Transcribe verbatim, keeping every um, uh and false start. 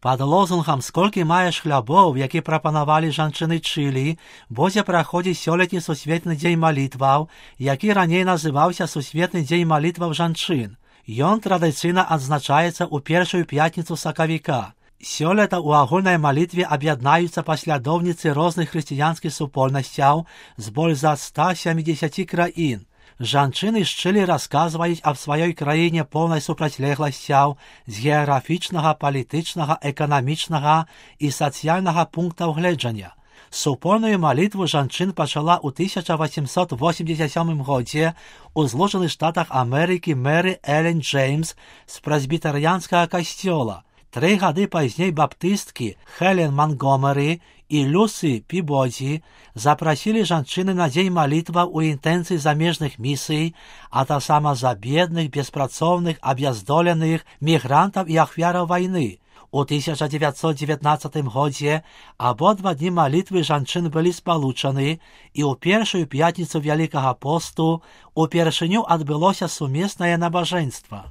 Пад лозунгам «Сколькі маеш хлябоў», які прапанавалі жанчыны Чылі, будзе праходзіць сёлетні сусветны дзень малітваў, які раней называўся Сусветны дзень малітваў жанчын. Ён традыцыйна адзначаецца ў першую пятніцу сакавіка. Сёлета ў агульнай малітве аб'яднаюцца паслядоўніцы розных хрысціянскіх супольнасцяў з больш за ста сямідзесяці краін. Жанчыны з Чылі расказваюць аб сваёй краіне поўнай супрацьлегласцяў з геаграфічнага, палітычнага, эканамічнага і сацыяльнага пунктаў гледжання. Супольную малітву жанчын пачала ў тысяча васемсот восемьдесят сёмым годзе ў Злучаных Штатах Амерыкі Мэры Элен Джеймс з прэсбітарыянскага касцёла. Тры гады пазней баптысткі Хелен Монгомері і Люсі Пібодзі запрасілі жанчыны на дзень малітваў у інтэнцыі замежных місій, а таксама за бедных, беспрацоўных, аб'яздоленых, мігрантаў і ахвяраў вайны. У тысяча дзевяцьсот дзевятнаццатым годзе абодва дні малітвы жанчын былі спалучаны, і ў першую пятніцу Вялікага посту упершыню адбылося сумеснае набажэнства.